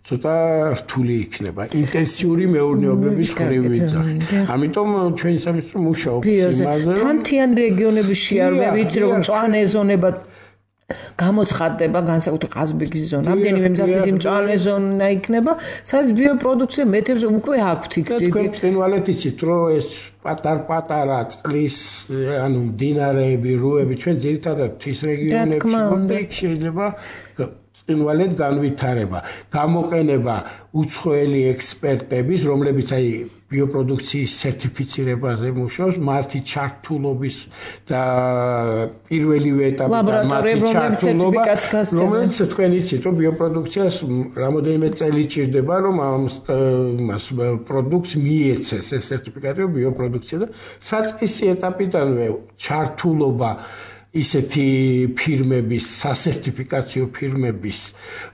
ცოტა რთული იქნება. ინტენსიური მეურნეობების ხრივ ვიძახი. ამიტომ ჩვენი სამინისტრო მუშაობს იმაზე, რომ მთიან რეგიონების შეარვება, ვიცი რომ მწვანე ზონება გამოცხადდება განსაკუთრებით ყაზბეგის ზონა. რამდენიმე მზასეთი მწვანე ზონა იქნება, სადაც ბიოპროდუქცია მეტებს უკვე აქვთ იქ დიდი. თქვენ წინვალეთ იცით, რომ ეს პატარ-პატარა წყლის, ანუ მდინარეები, რუები, ჩვენ ძირითადად მთის რეგიონებში გვაქვს, შეიძლება წინვალეთ განვითარება, გამოყენება უცხოელი ექსპერტების, რომლებიც აი ბიოპროდუქციის სერტიფიცირებაზე მუშაობს, მათი ჩართულობის და პირველივე ეტაპიდან მათი ჩართულობა, რომელიც თქვენ იცით, რომ ბიოპროდუქციას რამოდენიმე წელი ჭირდება, რომ ამას პროდუქტს მიეცეს ეს სერტიფიკატი ბიოპროდუქცია და საწყისი ეტაპიდანვე ჩართულობა ისეთი ფირმების, სასერტიფიკაციო ფირმების,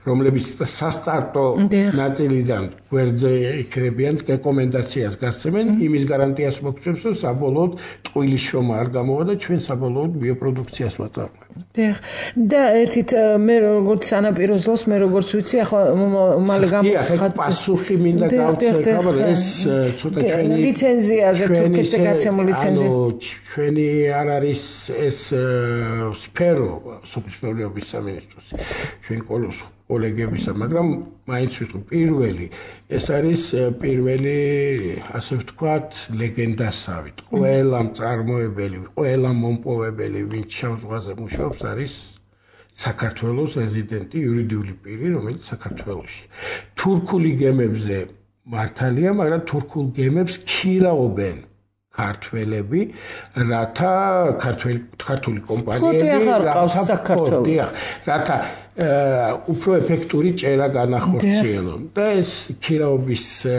რომლებიც სასტარტო ნაწილიდან გვერდზე იქნებიან რეკომენდაციას გასცემენ, იმის გარანტიას მოგცემს, რომ საბოლოოდ ტყუილის შრომა არ გამოვა და ჩვენ საბოლოოდ ბიოპროდუქციას ვაწარმოებთ. და ერთით მე როგორც სანაპიროს ლოს, მე როგორც ვიცი, ახლა უმალე გამოცხადდა პასუხი მინდა გავცე, ეს ცოტა ჩვენი ლიცენზიაზე თურქეთზე გაცემული ლიცენზია. ჩვენი არ არის ეს სფერო სოფლის მეურნეობის სამინისტროს ჩვენ კოლეგებისა, მაგრამ მაინც ვიტყვი პირველი ეს არის პირველი ასე ვთქვათ ლეგენდასავით. ყველა მწარმოებელი, ყველა მომპოვებელი, ვინც შავ ზღვაზე მუშაობს, არის საქართველოს რეზიდენტი იურიდიული პირი, რომელიც საქართველოში. თურქული გემებზე მართალია, მაგრამ თურქულ გემებს ქირავენ ქართველები, რათა ქართული კომპანიები რათა უფრო ეფექტური ჭერა განახორციელონ და ეს ქირაობაზე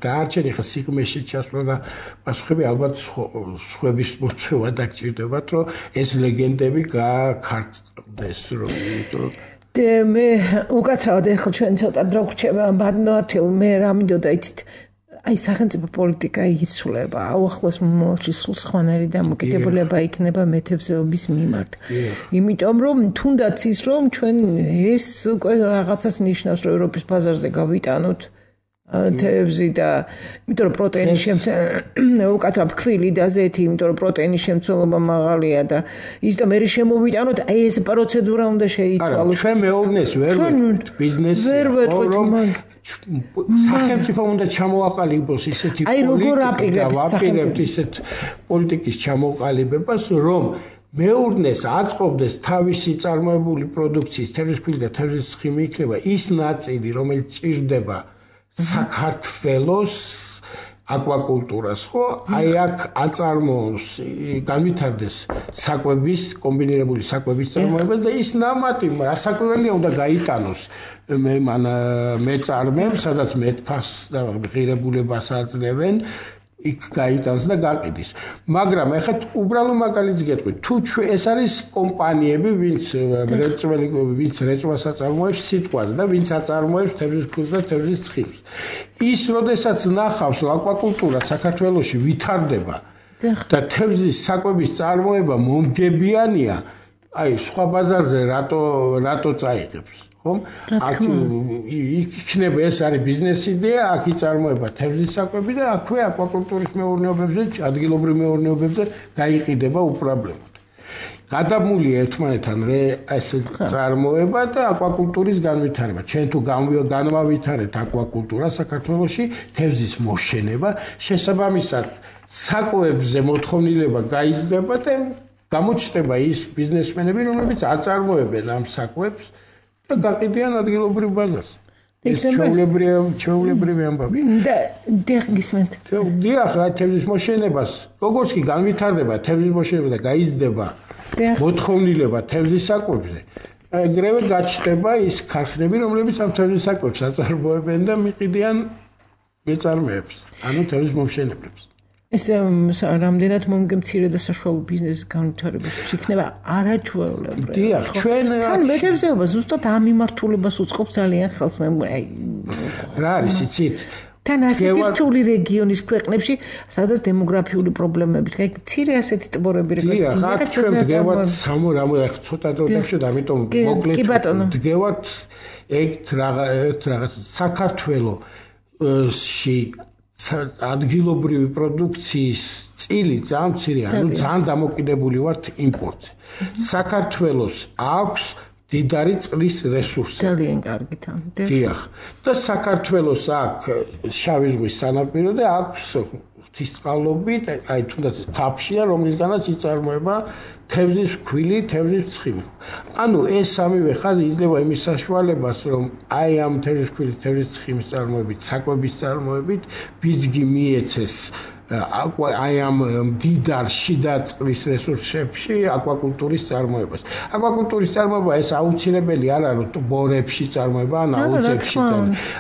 დაარჩენი ხა სიღმეში ჩასვლა და პასუხები ალბათ სხვების მოწვევა დაგჭირდებათ რომ ეს ლეგენდები გაქარწყდეს რომ მე უკაცრავად ახლა ჩვენ ცოტა დრო გვრჩება ბანოარჩევ მე რა მინდოდა იცით აი სახელმწიფო პოლიტიკა იცვლება აუახლოს მომავალში სულ სხვანაირი დამოკიდებულება იქნება მეთევზეობის მიმართ იმიტომ რომ თუნდაც ის რომ ჩვენ ეს უკვე რაღაცას ნიშნავს რომ ევროპის ბაზარზე გავიტანოთ თევზი და იმიტომ რომ პროტეინის უკაცრავ ფქვილი და ზეთი იმიტომ რომ პროტეინის შემცველობა მაღალია და ის და მე შემოვიტანოთ აი ეს პროცედურა უნდა შეიცვალოს ჩვენ მეურნეს ვერ ვეთქვით ბიზნესი ვერ ვეთქვით სახელმწიფო უნდა ჩამოაყალიბოს ისეთი პოლიტიკა ვაპირებთ ისეთ პოლიტიკის ჩამოყალიბებას რომ მეურნეს აწყობდეს თავისი წარმოებული პროდუქციის თევზისქვილი და თევზის ცხიმი იქნება ის ნაწილი რომელიც ჭირდება საქართველოს აკვაკულტურას ხო აი აქ აწარმოოს განვითარდეს საკვების კომბინირებული საკვების წარმოება და ის ნამატი რასაკვირველია უნდა გაიტანოს მეწარმემ სადაც მეტფას და ღირებულებას აძლევენ იქ გაიტანს და გაყიდის მაგრამ ეხლა უბრალო მაგალითს გეტყვით თუ ეს არის კომპანიები ვინც რეწვას აწარმოებს სიტყვაზე და ვინც აწარმოებს თევზის ქულს და თევზის ცხიმს ის როდესაც ნახავს რომ აკვაკულტურა საქართველოში ვითარდება და თევზის საკვების წარმოება მომგებიანია აი სხვა ბაზარზე რატო წაიღებს ხომ? აქ იქნება ეს არის ბიზნეს იდეა, აქ იწარმოება თევზის საკვები და აქვე აკვაკულტურის მეურნეობებზე, ადგილობრივ მეურნეობებზე გაიყიდება უპრობლემოდ. გადამულია ერთმანეთთან ეს წარმოება და აკვაკულტურის განვითარება. ჩვენ თუ განვავითარებთ აკვაკულტურა საქართველოში, თევზის მოშენება, შესაბამისად საკვებზე მოთხოვნილება გაიზრდება და გამოჩნდება ის ბიზნესმენები, რომლებიც აწარმოებენ ამ საკვებს და გაყიდიან ადგილობრივ ბაზარს. ეს ჩვეულებრივი ამბავი. და გისმენთ. დიახ, თევზის მოშენებას, როგორც კი განვითარდება თევზის მოშენება და გაიზრდება მოთხოვნილება თევზის საკვებზე, ეგრევე გაჩნდება ის ქარხნები, რომლებიც ამ თევზის საკვებს აწარმოებენ და მიყიდიან მეწარმეებს, ანუ თევზის მომშენებლებს. ეს რამდენად მომგემცირე და საშუალო ბიზნესის განვითარებას იქნება არაჩვეულებრივი. დიახ, ჩვენ თან მეთევზეობა ზუსტად ამ მიმართულებას უწყობს ძალიან ხელს მე რა არის იცით? თან ასეთი რთული რეგიონის ქვეყნებში, სადაც დემოგრაფიული პრობლემებით, აი მცირე ასეთი ტბორები დიახ, აქ ჩვენ დგევათ რამოდენიმე ცოტა დრო დავშვით, ამიტომ მოკლედ დგევათ ერთ რაღაც საქართველოში ადგილობრივი პროდუქციის წილი ძალიან მცირეა, ანუ ძალიან დამოკიდებული ვართ იმპორტზე. საქართველოს აქვს დიდარი წყლის რესურსი. ძალიან კარგი თან. დიახ. და საქართველოს აქვს შავი ზღვის სანაპირო და აქვს ღვთისწყალობით, აი თუნდაც თაფშია, რომლისგანაც იწარმოება თევზის ქვილი, თევზის ცხიმი. ანუ ეს სამივე ხაზი იძლევა იმის საშუალებას, რომ აი ამ თევზის ქვილი, თევზის ცხიმის წარმოებით, საკვების წარმოებით ბიძგი მიეცეს აი ამ დიდარ შიდა წყლის რესურსებში აკვაკულტურის წარმოებას. აკვაკულტურის წარმოება ეს აუცილებელი არ არის ბორებში წარმოება, ან აუზებში.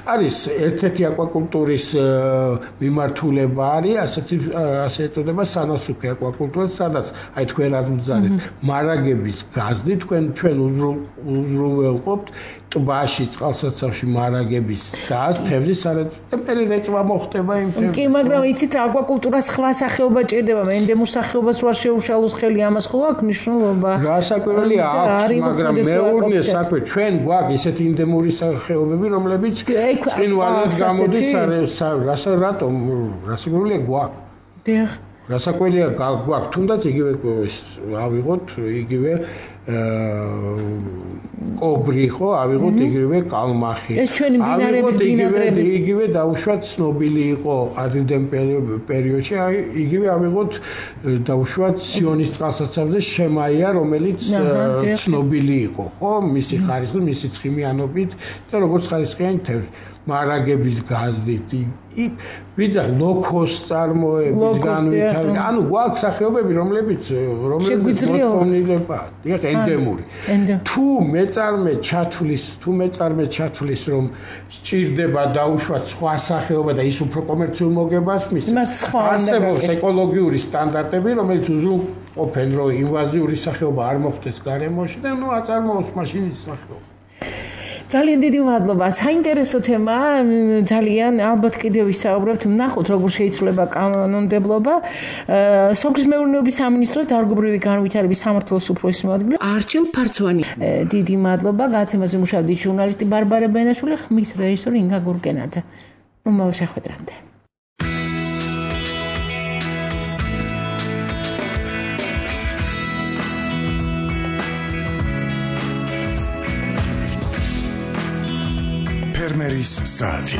არის ერთ-ერთი აკვაკულტურის მიმართულება არის, ასე ეწოდება სანასოფი აკვაკულტურა, სადაც აი თქვენ რაც ვძალეთ, მარაგების გაზრდით ჩვენ უზრუნველყოფთ ტბაში, წყალსაცავში მარაგების გაზს, თევზის სარეწმუნო და რეწვა მოხდება იმ თევზს. კი, მაგრამ იცით რა აკვაკულტურა სხვა სახეობა ჭირდება, მე ენდემურ სახეობას რო არ შეუშალოს ხელი, ამას ხო აქვს მნიშვნელობა? რასაკვირველია აქვს, მაგრამ მეურნე საკვე ჩვენ გვაქვს ისეთი ენდემური სახეობები, რომლებიც წინვალად გამოდის რატომ? რასაკვირველია გვაქვს. დიახ. რასაკვირველია გვაქვს, თუნდაც იგივე ავიღოთ, იგივე კობრი ხო, ავიღოთ იგივე კალმახი. ეს ჩვენი ბინარების ბინადრები. იგივე დაუშვათ ცნობილი იყო ადრინდელ პერიოდში, იგივე ავიღოთ დაუშვათ სიონის წყალსაცავზე შემაია, რომელიც ცნობილი იყო, ხო, მისი ხარისხით, მისი ცხიმიანობით და როგორც ხარისხიანი თევზი. მარაგების გაზდით იქ ვიძახ ლოქოს წარმოების განვითარება ანუ გვაქვს სახეობები რომლებიც მოწონილება იქ ენდემური თუ მეწარმე ჩათვლის რომ სჭირდება დაუშვათ სხვა სახეობა და ის უფრო კომერციულ მოგებას მისცემს არსებობს ეკოლოგიური სტანდარტები რომელიც უზრუნველყოფენ რომ ინვაზიური სახეობა არ მოხდეს გარემოში და ნუ აწარმოოს მაშინ ის სახეობა ძალიან დიდი მადლობა. საინტერესო თემაა. ძალიან ალბათ კიდევ ვისაუბრებთ. ნახოთ როგორ შეიძლება კანონმდებლობა. სოფლის მეურნეობის სამინისტროს დარგობრივი განვითარების სამმართველოს უფროსის მოადგილე არჩილ ფარცვანი. დიდი მადლობა. გაცემაზე მუშაობდით ჟურნალისტი ბარბარა ბენაშვილი, ხმის რეჟისორი ინგა გურგენაძე. მომავალ შეხვედრამდე. ფერმერის საათი